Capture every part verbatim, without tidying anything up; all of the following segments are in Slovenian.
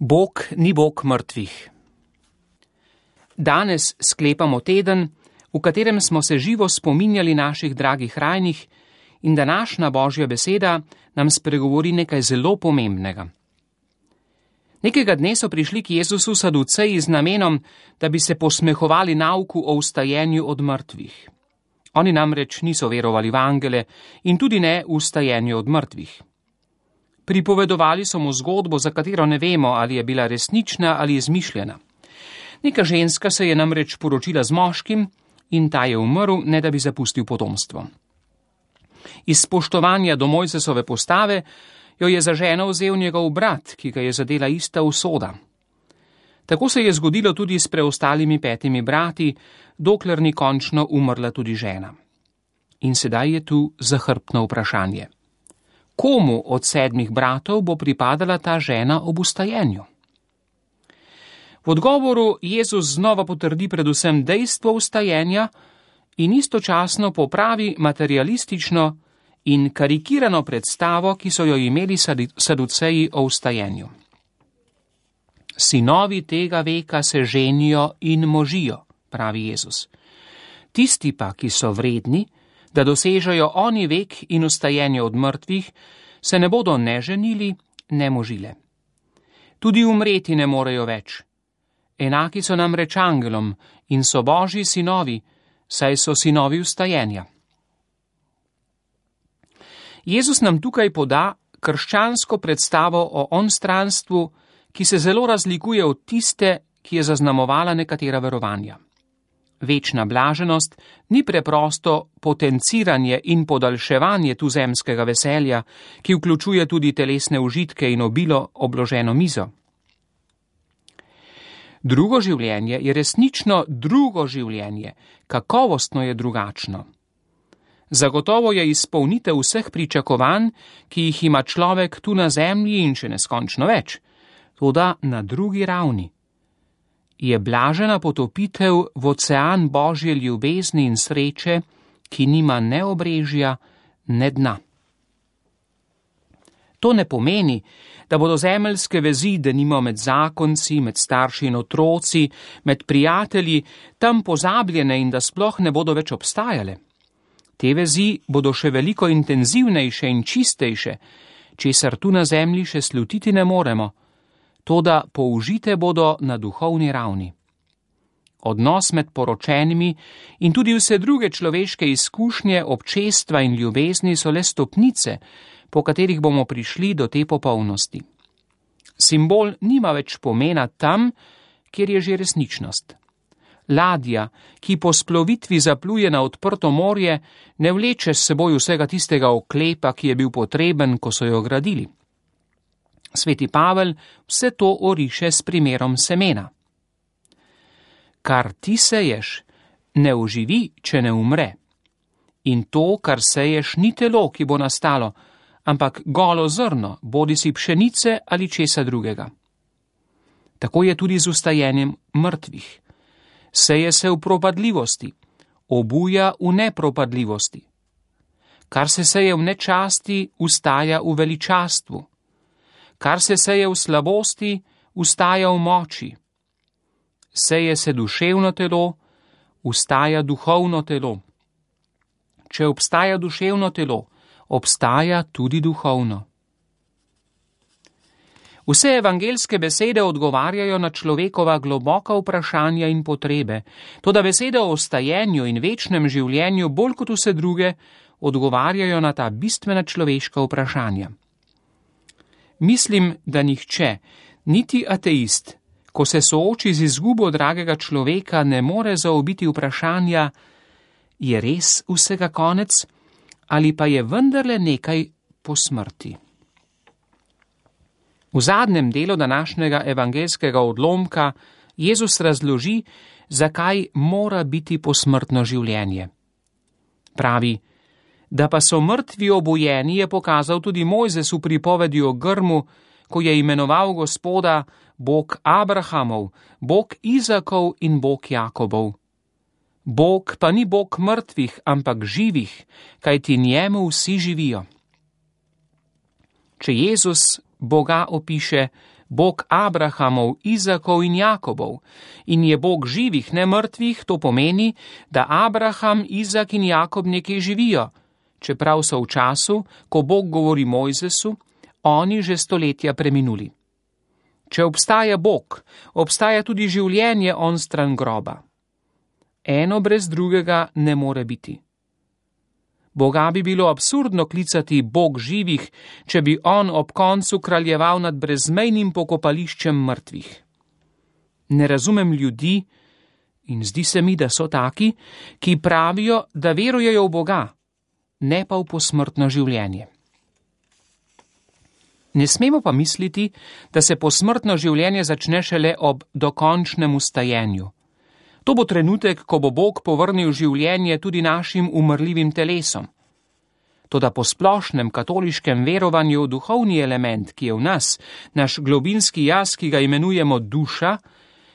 Bog ni Bog mrtvih. Danes sklepamo teden, v katerem smo se živo spominjali naših dragih rajnih, in današnja Božja beseda nam spregovori nekaj zelo pomembnega. Nekega dne so prišli k Jezusu saduceji z namenom, da bi se posmehovali nauku o vstajenju od mrtvih. Oni namreč niso verovali v angele in tudi ne v vstajenju od mrtvih. Pripovedovali so mu zgodbo, za katero ne vemo, ali je bila resnična ali izmišljena. Neka ženska se je namreč poročila z moškim in ta je umrl, ne da bi zapustil potomstvo. Iz spoštovanja do Mojzesove postave jo je za ženo vzel njegov brat, ki ga je zadela ista usoda. Tako se je zgodilo tudi s preostalimi petimi brati, dokler ni končno umrla tudi žena. In sedaj je tu zahrbtno vprašanje. Komu od sedmih bratov bo pripadala ta žena ob vstajenju? V odgovoru Jezus znova potrdi predvsem dejstvo vstajenja in istočasno popravi materialistično in karikirano predstavo, ki so jo imeli saduceji o vstajenju. Sinovi tega veka se ženijo in možijo, pravi Jezus. Tisti pa, ki so vredni, da dosežejo oni vek in vstajenje od mrtvih, se ne bodo ne ženili, ne možile. Tudi umreti ne morejo več. Enaki so namreč angelom in so Božji sinovi, saj so sinovi vstajenja. Jezus nam tukaj poda krščansko predstavo o onstranstvu, ki se zelo razlikuje od tiste, ki je zaznamovala nekatera verovanja. Večna blaženost ni preprosto potenciranje in podaljševanje tuzemskega veselja, ki vključuje tudi telesne užitke in obilo obloženo mizo. Drugo življenje je resnično drugo življenje, kakovostno je drugačno. Zagotovo je izpolnitev vseh pričakovanj, ki jih ima človek tu na zemlji in še neskončno več, toda na drugi ravni. Je blažena potopitev v ocean Božje ljubezni in sreče, ki nima ne obrežja, ne dna. To ne pomeni, da bodo zemeljske vezi, denimo med zakonci, med starši in otroci, med prijatelji, tam pozabljene in da sploh ne bodo več obstajale. Te vezi bodo še veliko intenzivnejše in čistejše, česar tu na zemlji še slutiti ne moremo, toda použite bodo na duhovni ravni. Odnos med poročenimi in tudi vse druge človeške izkušnje, občestva in ljubezni so le stopnice, po katerih bomo prišli do te popolnosti. Simbol nima več pomena tam, kjer je že resničnost. Ladja, ki po splovitvi zapluje na odprto morje, ne vleče s seboj vsega tistega oklepa, ki je bil potreben, ko so jo gradili. Sveti Pavel vse to oriše s primerom semena. Kar ti seješ, ne oživi, če ne umre. In to, kar seješ, ni telo, ki bo nastalo, ampak golo zrno, bodisi pšenice ali česa drugega. Tako je tudi z vstajenjem mrtvih. Seje se v propadljivosti, obuja v nepropadljivosti. Kar se seje v nečasti, ustaja v veličastvu. Kar se seje v slabosti, ustaja v moči. Seje se duševno telo, ustaja duhovno telo. Če obstaja duševno telo, obstaja tudi duhovno. Vse evangeljske besede odgovarjajo na človekova globoka vprašanja in potrebe, toda besede o vstajenju in večnem življenju bolj kot vse druge odgovarjajo na ta bistvena človeška vprašanja. Mislim, da nihče, niti ateist, ko se sooči z izgubo dragega človeka, ne more zaobiti vprašanja, je res vsega konec ali pa je vendarle nekaj po smrti. V zadnjem delu današnjega evangeljskega odlomka Jezus razloži, zakaj mora biti posmrtno življenje. Pravi, da pa so mrtvi obujeni, je pokazal tudi Mojzes v pripovedi o grmu, ko je imenoval Gospoda Bog Abrahamov, Bog Izakov in Bog Jakobov. Bog pa ni Bog mrtvih, ampak živih, kajti njemu vsi živijo. Če Jezus Boga opiše, Bog Abrahamov, Izakov in Jakobov, in je Bog živih, ne mrtvih, to pomeni, da Abraham, Izak in Jakob nekje živijo, čeprav so v času, ko Bog govori Mojzesu, oni že stoletja preminuli. Če obstaja Bog, obstaja tudi življenje onstran groba. Eno brez drugega ne more biti. Boga bi bilo absurdno klicati Bog živih, če bi on ob koncu kraljeval nad brezmejnim pokopališčem mrtvih. Ne razumem ljudi, in zdi se mi, da so taki, ki pravijo, da verujejo v Boga, ne pa v posmrtno življenje. Ne smemo pa misliti, da se posmrtno življenje začne šele ob dokončnem ustajenju. To bo trenutek, ko bo Bog povrnil življenje tudi našim umrljivim telesom. Toda po splošnem katoliškem verovanju duhovni element, ki je v nas, naš globinski jaz, ki ga imenujemo duša,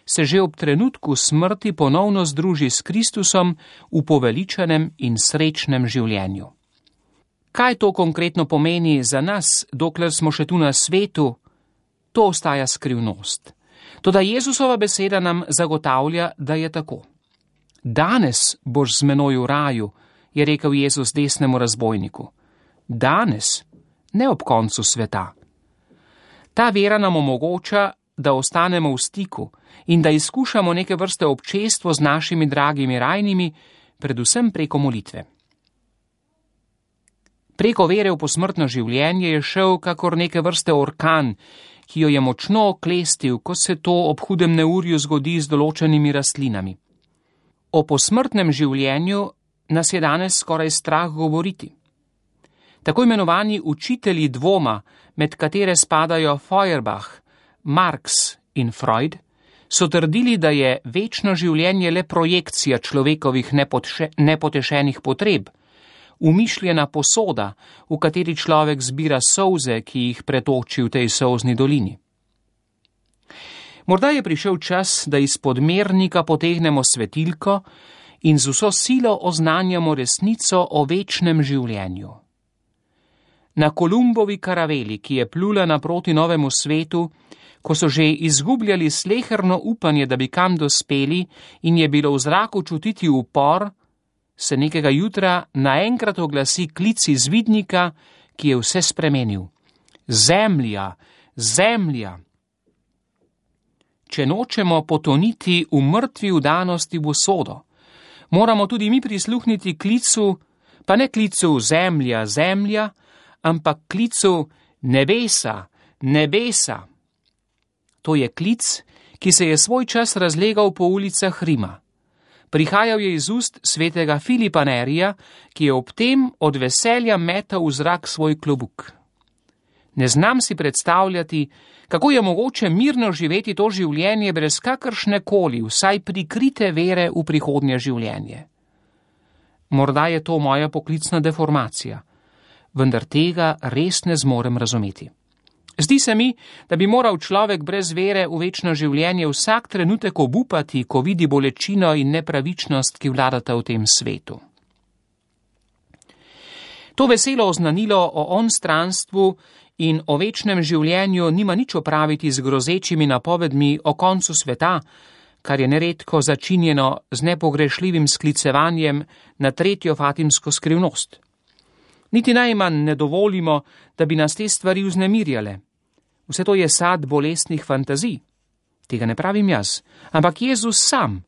se že ob trenutku smrti ponovno združi s Kristusom v poveličanem in srečnem življenju. Kaj to konkretno pomeni za nas, dokler smo še tu na svetu, to ostaja skrivnost. Toda Jezusova beseda nam zagotavlja, da je tako. Danes boš z menoj v raju, je rekel Jezus desnemu razbojniku. Danes, ne ob koncu sveta. Ta vera nam omogoča, da ostanemo v stiku in da izkušamo neke vrste občestvo z našimi dragimi rajnimi, predvsem preko molitve. Preko vere v posmrtno življenje je šel kakor neke vrste orkan, ki jo je močno oklestil, ko se to ob hudem neurju zgodi z določenimi rastlinami. O posmrtnem življenju nas je danes skoraj strah govoriti. Tako imenovani učitelji dvoma, med katere spadajo Feuerbach, Marx in Freud, so trdili, da je večno življenje le projekcija človekovih nepotše, nepotešenih potreb, umišljena posoda, v kateri človek zbira solze, ki jih pretoči v tej solzni dolini. Morda je prišel čas, da izpod mernika potegnemo svetilko in z vso silo oznanjamo resnico o večnem življenju. Na Kolumbovi karaveli, ki je plula naproti novemu svetu, ko so že izgubljali sleherno upanje, da bi kam dospeli in je bilo v zraku čutiti upor, se nekega jutra naenkrat oglasi klic iz vidnika, ki je vse spremenil. Zemlja, zemlja! Če nočemo potoniti v mrtvi vdanosti v usodo, moramo tudi mi prisluhniti klicu, pa ne klicu zemlja, zemlja, ampak klicu nebesa, nebesa. To je klic, ki se je svoj čas razlegal po ulicah Rima. Prihajal je iz ust svetega Filipa Nerija, ki je ob tem od veselja metal v zrak svoj klobuk. Ne znam si predstavljati, kako je mogoče mirno živeti to življenje brez kakršne koli, vsaj prikrite vere v prihodnje življenje. Morda je to moja poklicna deformacija, vendar tega res ne zmorem razumeti. Zdi se mi, da bi moral človek brez vere v večno življenje vsak trenutek obupati, ko vidi bolečino in nepravičnost, ki vladata v tem svetu. To veselo oznanilo o onstranstvu in o večnem življenju nima nič opraviti z grozečimi napovedmi o koncu sveta, kar je neredko začinjeno z nepogrešljivim sklicevanjem na tretjo fatimsko skrivnost. Niti najmanj ne dovolimo, da bi nas te stvari vznemirjale. Vse to je sad bolestnih fantazij. Tega ne pravim jaz, ampak Jezus sam.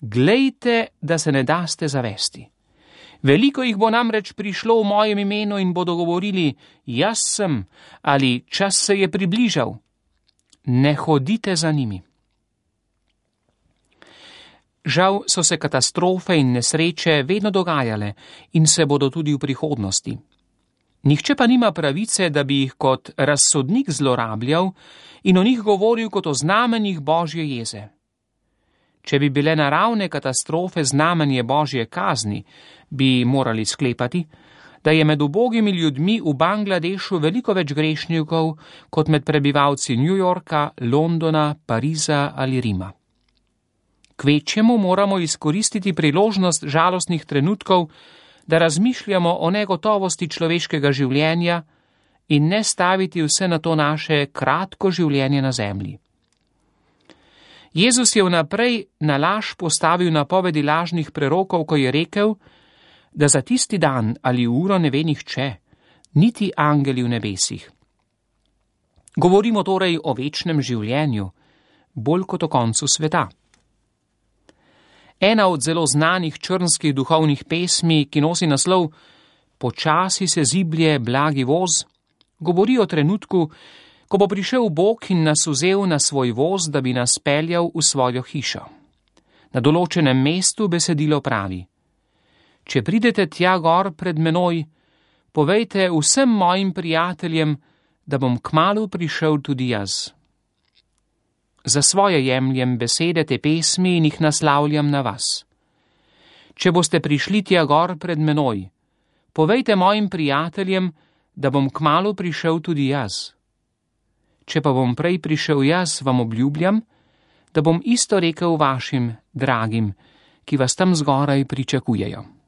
Glejte, da se ne daste zavesti. Veliko jih bo namreč prišlo v mojem imenu in bodo govorili, jaz sem, ali čas se je približal. Ne hodite za njimi. Žal so se katastrofe in nesreče vedno dogajale in se bodo tudi v prihodnosti. Nihče pa nima pravice, da bi jih kot razsodnik zlorabljal in o njih govoril kot o znamenjih Božje jeze. Če bi bile naravne katastrofe znamenje Božje kazni, bi morali sklepati, da je med ubogimi ljudmi v Bangladešu veliko več grešnikov kot med prebivalci New Yorka, Londona, Pariza ali Rima. Kvečjemu moramo izkoristiti priložnost žalostnih trenutkov, da razmišljamo o negotovosti človeškega življenja in ne staviti vse na to naše kratko življenje na zemlji. Jezus je vnaprej na laž postavil napovedi lažnih prerokov, ko je rekel, da za tisti dan ali uro ne ve nihče, niti angeli v nebesih. Govorimo torej o večnem življenju, bolj kot o koncu sveta. Ena od zelo znanih črnskih duhovnih pesmi, ki nosi naslov Počasi se ziblje blagi voz, govori o trenutku, ko bo prišel Bog in nas vzel na svoj voz, da bi nas peljal v svojo hišo. Na določenem mestu besedilo pravi: Če pridete tja gor pred menoj, povejte vsem mojim prijateljem, da bom kmalu prišel tudi jaz. Za svoje jemljem besede te pesmi in jih naslavljam na vas. Če boste prišli tja gor pred menoj, povejte mojim prijateljem, da bom kmalu prišel tudi jaz. Če pa bom prej prišel jaz, vam obljubljam, da bom isto rekel vašim dragim, ki vas tam zgoraj pričakujejo.